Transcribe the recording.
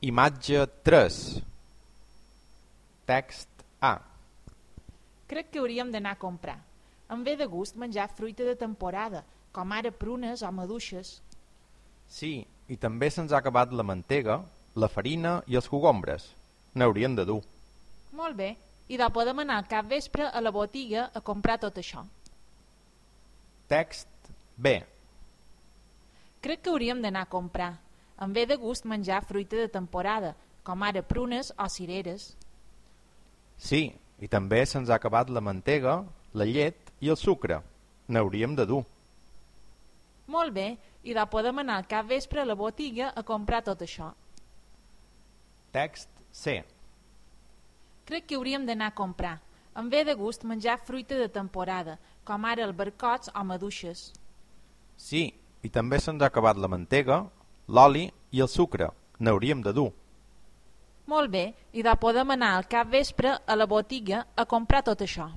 Imatge 3. Text A. Crec que hauríem d'anar a comprar. Em ve de gust menjar fruita de temporada, com ara prunes o maduixes. Sí, i també se'ns ha acabat la mantega, la farina i els cogombres. N'hauríem de dur. Molt bé, i podem anar al capvespre a la botiga a comprar tot això. Text B. Crec que hauríem d'anar a comprar. Em ve de gust menjar fruita de temporada, com ara prunes o cireres. Sí, i també se'ns ha acabat la mantega, la llet i el sucre. N'hauríem de dur. Molt bé, i podem anar al capvespre a la botiga a comprar tot això. Text C. Crec que hauríem d'anar a comprar. Em ve de gust menjar fruita de temporada, com ara albercots o maduixes. Sí, i també se'ns ha acabat la mantega, l'oli i el sucre. N'hauríem de dur. Molt bé, i podem anar al capvespre a la botiga a comprar tot això.